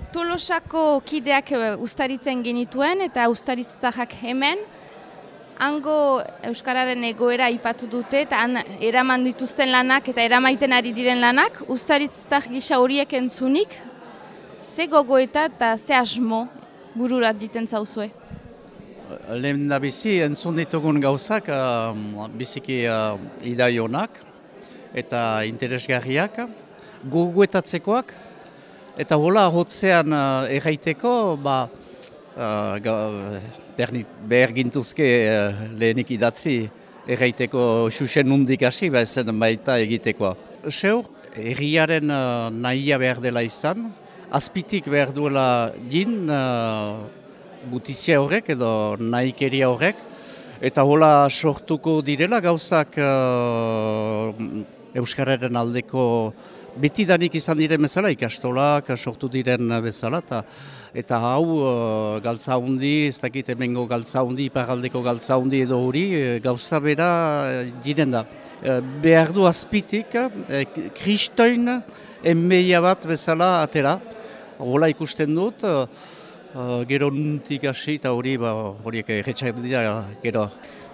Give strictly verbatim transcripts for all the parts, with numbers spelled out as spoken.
Tolosako kideak ustaritzen genituen eta ustaritzarrak hemen, hango euskararen egoera aipatu dute eta han eraman dituzten lanak eta eramaiten ari diren lanak, ustaritzar gisa horiek entzunik, ze gogoeta eta ze asmo bururat diten zauzue? Lehen da bizi, entzun ditugun gauzak, uh, biziki uh, idaionak eta interesgarriak, gogoetatzekoak, eta hola hotzean uh, erraiteko, ba, uh, behar gintuzke uh, lehenik idatzi erraiteko xuxen nundik hasi, ba ezen baita egitekoa. Seur, herriaren uh, nahia behar dela izan, azpitik behar duela jin, uh, gutizia horrek edo nahikeria horrek, eta hola sortuko direla gauzak uh, euskararen aldeko betidanik izan diren bezala, ikastolak sortu diren bezala, eta, eta hau uh, galtza hundi, ez dakit hemengo galtza hundi, iparaldeko galtza hundi edo hori, gauza bera diren da. Uh, behar du azpitik, uh, kristoin enmeia bat bezala atera, hola ikusten dut, uh, Uh, gero nuntik hasi eta hori ba, horiek erretxak dira gero.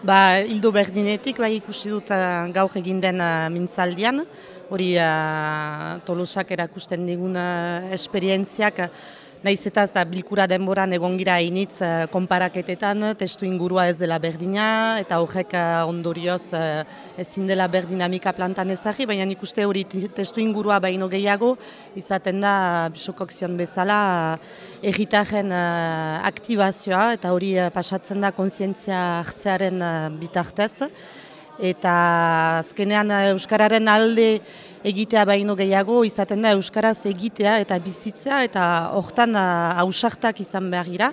Ba, hildo berdinetik bai ikusi dut uh, gaur egin den uh, mintzaldian, hori uh, Tolosak erakusten digun uh, esperientziak, uh, nahiz eta da bilkura denboran egon gira initz uh, konparaketetan, testu ingurua ez dela berdina, eta horrek uh, ondorioz uh, ezin dela berdinamika plantan ezagri, baina ikuste hori testu ingurua baino gehiago, izaten da bisokokzion bezala uh, erritaren uh, aktibazioa, eta hori uh, pasatzen da kontzientzia hartzearen uh, bitartez. Eta azkenean euskararen alde egitea baino gehiago izaten da euskaraz egitea eta bizitzea eta hortan ausartak izan behar gira.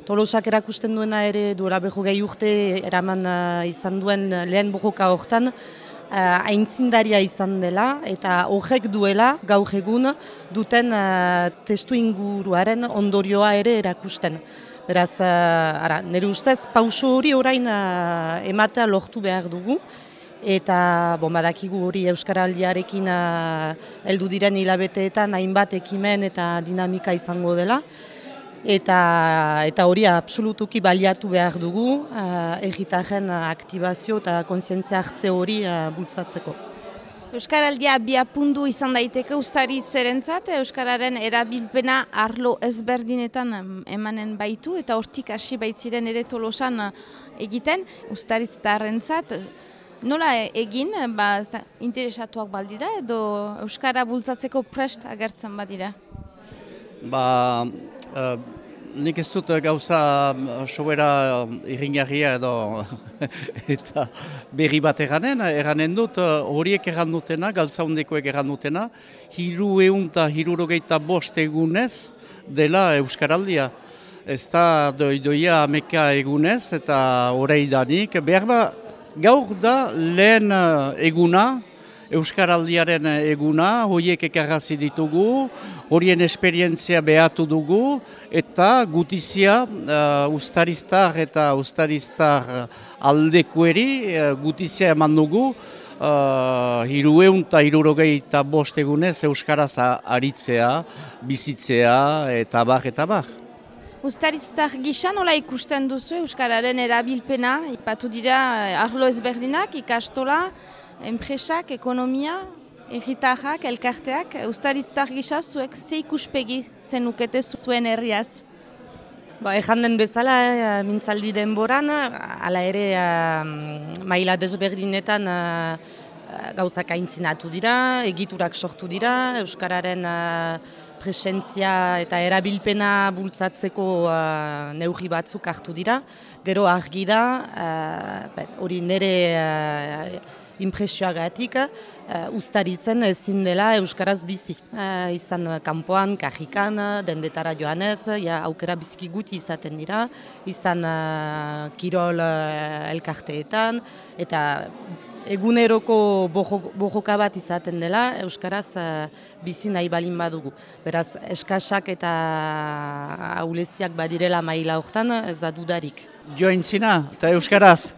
Tolosak erakusten duena ere duela berrogei urte eraman izan duen lehen borroka hortan aintzindaria izan dela eta horrek duela gaur egun duten testu inguruaren ondorioa ere erakusten. Beraz, uh, ara, nire ustez, pauso hori orain uh, ematea lortu behar dugu, eta bon, badakigu hori euskaraldiarekin uh, heldu diren hilabeteetan hainbat ekimen eta dinamika izango dela, eta, eta hori absolutuki baliatu behar dugu, uh, erritaren aktibazio eta kontzientzia hartze hori uh, bultzatzeko. Euskaraldia biapundu izan daiteke ustaritzerentzat, euskararen erabilpena arlo ezberdinetan emanen baitu eta hortik hasi baitziren ere Tolosan egiten ustaritztarrentzat. Nola egin, ba, interesatuak baldira edo euskara bultzatzeko prest agertzen badira? Ba, uh, nik ez dut gauza sobera irringarria edo eta berri bat eranen, eranen dut horiek eran dutena, galtza hundekoek eran dutena, hiru eun eta hirurogeita bost egunez dela euskaraldia. Ez da doidoia ameka egunez eta oreidanik, behar ba gaur da lehen eguna, euskaraldiaren eguna, horiek ekarrazi ditugu, horien esperientzia behatu dugu, eta gutizia uh, ustariztar eta ustariztar aldekueri uh, gutizia eman dugu, uh, hirueun eta hirurogei eta bost egunez euskaraz aritzea, bizitzea eta bar eta bar. Ustariztar gisa nola ikusten duzu euskararen erabilpena, ipatu dira arlo ezberdinak, ikastola, enpresak, ekonomia, erritarrak, elkarteak, ustaritztar gisa zuek ze ikuspegi zenukete zuen herriaz? Ba, ejan den bezala, e, mintzaldi denboran, hala ere e, maila desberdinetan e, gauzak aintzinatu dira, egiturak sortu dira, euskararen e, presentzia eta erabilpena bultzatzeko e, neurri batzuk hartu dira. Gero argi da, e, hori nire e, impresioagatik, uh, ustaritzen ezin dela euskaraz bizi. Uh, izan kanpoan, kajikan, dendetara joanez, ja, aukera biziki guti izaten dira, izan uh, kirol uh, elkarteetan, eta eguneroko borroka bat izaten dela, euskaraz uh, bizi nahi balin badugu. Beraz, eskasak eta ahuleziak badirela maila hortan, ez da dudarik. Joaintzina eta euskaraz.